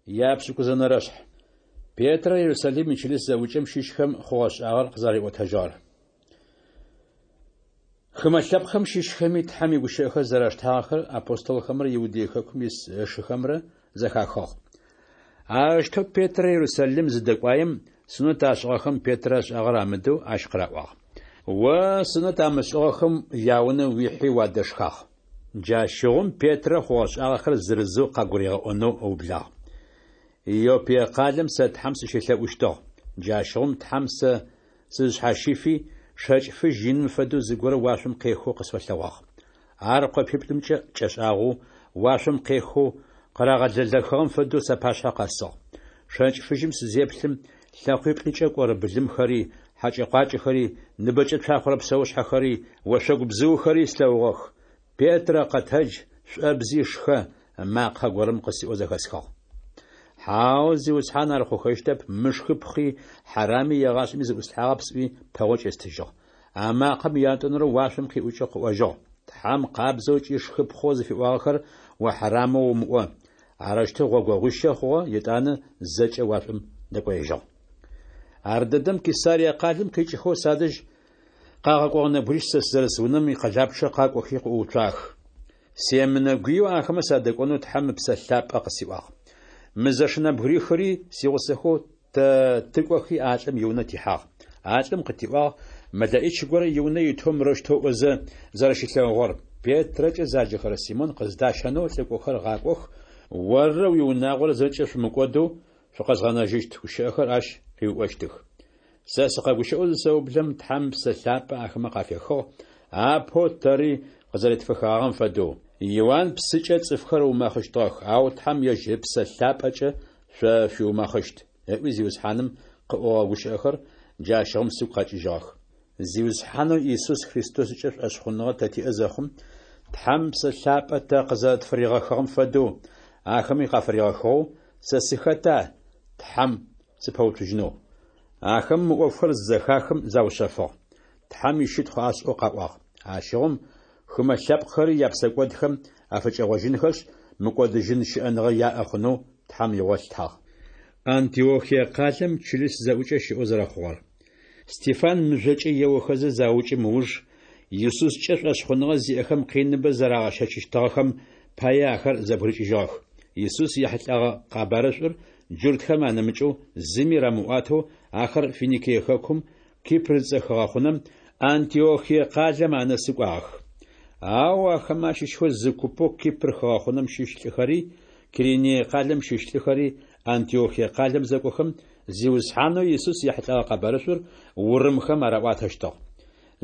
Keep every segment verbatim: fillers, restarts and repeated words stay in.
Япшӏыкӏузэнэрэшъхь. Петрэ Ерусалим ичылыс зэӏукӏэм щыщхэм хъугъэ-шӏагъэр къызэрариӏотэжьыгъэр. Хымэ лъэпкъхэм щыщхэми Тхьэм игущыӏэхэр зэраштагъэхэр апостолхэмрэ Иудей хэкум ис ышыхэмрэ зэхахыгъ. Арэущтэу Петрэ Ерусалим зыдэкӏуаем, сунэт ашӏыгъэхэм Петрэ ышӏагъэр амыдэу ащ къыраӏуагъ: О сунэт амышӏыгъэхэм яунэ уихьи уадэшхагъ. Джащыгъум Петрэ хъугъэ-шӏагъэхэр зырызэу къагуригъэӏонэу ыублагъ. Иоппие къалэм сэ Тхьэм сыщелъэӏущтыгъ. Джащыгъум Тхьэм сэ сызшъхьащифи, шэкӏ фыжь иным фэдэу зыгорэ уашъом къехэу къысфэлъэгъуагъ. Ар къопиплӏымкӏэ кӏэшӏагъэу, уашъом къехэу, къырагъэлэлэхыгъэм фэдэу сапашъхьэ къэсыгъ. Шэкӏ фыжьым сызеплъым, лъэкъуиплӏыкӏэ кӏорэ былымхэри, хьэкӏэ-къуакӏэхэри, ныбэкӏэ цуахъорэ псэушъхьэхэри, ошъогу бзыухэри слъэгъугъэх. Петрэ, къэтэдж, шӏобзи, шхэ, макъэ горэм къысиӏоу зэхэсхыгъ. Хьау, Зиусхьан, ар хъухэщтэп, мышхыпхъи, хьарами егъашӏэми зыӏуслъхьагъэп сӏуи, пэгъокӏ естыжьыгъ. А макъэм ятӏонэрэу уашъом къиӏукӏэу къыӏожьыгъ: Тхьэм къабзэу ыкӏи шхыпхъэу зыфиӏуагъэхэр о хьарамэу умыӏо. Арэущтэу гъогогъуищэ хъугъэ, етӏанэ зэкӏэ уашъом дэкӏоежьыгъ. Ардэдэм Кесарие къалэм къикӏыхэу садэжь къагъэкӏогъэ нэбгырищ сэ сызэрыс унэм икъэлапчъэ къакӏохи къыӏууцуагъэх. Семынэгуеу ахэмэ садэкӏонэу Тхьэм Ыпсэ Лъапӏэ къысиӏуагъ. Мы зэш нэбгырихыри сигъусэхэу тэ тыкӏохи а лӏым иунэ тихьагъ. А лӏым къытиӏуагъ мэлэӏич горэ иунэ итэу мырэущтэу ыӏозэ зэрэщилъэгъугъэр: Петрэкӏэ заджэхэрэ Симон къыздащэнэу лӏыкӏохэр гъакӏох, оррэ уиунагъорэ зэкӏэ шъумыкӏодэу шъукъэзгъэнэжьыщт гущыӏэхэр ащ къыуиӏощтых. Сэ сыкъэгущыӏэу зысэублэм, Тхьэм Ыпсэ Лъапӏэ ахэмэ къафехыгъ, апэу тэри къызэретфехыгъагъэм фэдэу. Иуан псыкӏэ цӏыфхэр ыумэхъыщтыгъэх, ау Тхьэм ежь Ыпсэ Лъапӏэкӏэ шъо шъуиумэхъыщт, ыӏуи Зиусхьаным къыӏогъэ гущыӏэхэр джащыгъум сыгу къэкӏыжьыгъэх. Зиусхьанэу Исус Христоскӏэ шӏошъхъуныгъэ тэ тиӏэ зэхъум, Тхьэм Ыпсэ Лъапӏэ тэ къызэрэтфыригъэхыгъэм фэдэу, ахэми къафыригъэхыгъэу, сэ сыхэта Тхьэм сыпэуцужьынэу? Ахэм мы ӏофхэр зызэхахым заушъэфыгъ. Тхьэм ищытхъу ашӏэу къаӏуагъ: Ащыгъум хымэ лъэпкъхэри япсэкӏодхэм афыкӏэгъожьынхэшъ, мыкӏодыжьын щыӏэныгъэ яӏэ хъунэу Тхьэм игъо лъытагъ. Антиохие къалэм чылыс зэӏукӏэ щыӏэу зэрэхъугъэр. Стефан мыжъокӏэ еохэзэ заукӏым ыуж, Исускӏэ шӏошъхъуныгъэ зиӏэхэм къиныбэ зэрагъэщэчыщтыгъэхэм пае ахэр зэбгырыкӏыжьыгъэх. Исус ехьылӏэгъэ къэбарышӏур джуртхэм анэмыкӏэу зыми рамыӏуатэу ахэр Финикие хэкум, Кипр зыцӏэ хыгъэхъунэм, Антиохие къалэм анэсы кӏуагъэх. Ау ахэмэ ащыщхэу зы купэу Кипр хыгъэхъунэм щыщ лӏыхэри, Киринее къалэм щыщ лӏыхэри Антиохие къалэм зэкӏохэм, Зиусхьанэу Исус ехьылӏэгъэ къэбарышӏур урымхэм араӏуатэщтыгъ.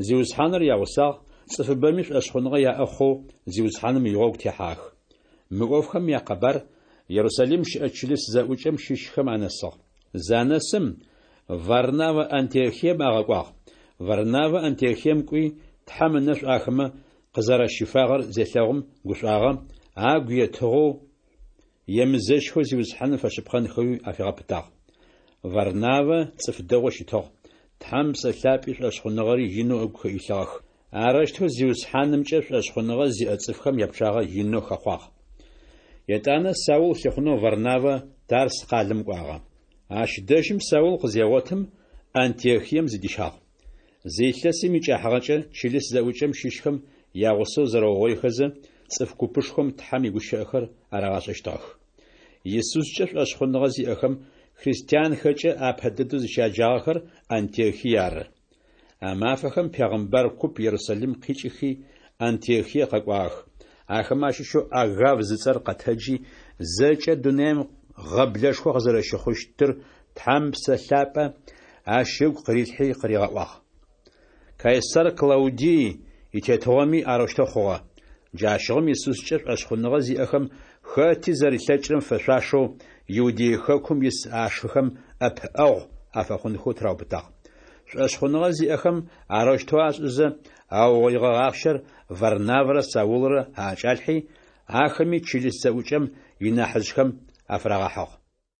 Зиусхьаныр ягъусагъ, цӏыфыбэми шӏошъхъуныгъэ яӏэ хъоу Зиусхьаным игъогу техьагъэх. Мы ӏофхэм якъэбар Ерусалим щыӏэ чылыс зэӏукӏэм щыщхэм анэсыгъ. Занэсым, Варнавэ Антиохием агъэкӏуагъ. Варнавэ Антиохием кӏуи, Тхьэм ынэшӏу ахэмэ къызэрэщифагъэр зелъэгъум гушӏуагъэ, агу етыгъэу, емызэщхэу Зиусхьаным фэшъыпкъэнхэуи афигъэпытагъ. Варнавэ цӏыф дэгъоу щытыгъ, Тхьэм Ыпсэ Лъапӏи шӏошъхъуныгъэри инэу ыгу илъыгъэх. Арэущтэу Зиусхьанымкӏэ шӏошъхъуныгъэ зиӏэ цӏыфхэм япчъагъэ инэу хэхъуагъ. Етӏанэ Саул лъыхъунэу Варнавэ Тарс къалэм кӏуагъэ. Ащ дэжьым Саул къызегъотым, Антиохием зыдищагъ. Зы илъэсым икӏыхьагъэкӏэ чылыс зэӏукӏэм щыщхэм ягъусэу зэрэугъоихэзэ, цӏыф купышхом Тхьэм игущыӏэхэр арагъашӏэщтыгъэх. Исускӏэ шӏошъхъуныгъэ зиӏэхэм христианхэкӏэ апэ дэдэу зыщяджагъэхэр Антиохие ары. А мафэхэм пегъымбар куп Ерусалим къикӏыхи Антиохие къэкӏуагъэх. Ахэмэ ащыщэу Агав зыцӏэр къэтэджи, зэкӏэ дунаим гъэблэшхо къызэрэщыхъущтыр Тхьэм Ыпсэ Лъапӏэ ащ ыгу къырилъхьи къыригъэӏуагъ. Кайсар Клаудий итетыгъоми арэущтэу хъугъэ. Джащыгъум Исускӏэ шӏошъхъуныгъэ зиӏэхэм хэти зэрилъэкӏырэм фэшъуашэу Иудей хэкум ис ашыхэм ӏэпыӏэгъу афэхъунхэу тыраубытагъ. Шӏошъхъуныгъэ зиӏэхэм арэущтэу ашӏызэ, аугъоигъэ ахъщэр Варнавэрэ Саулрэ аӏэкӏалъхьи, ахэми чылыс зэӏукӏэм инахьыжъхэм афырагъэхьыгъ.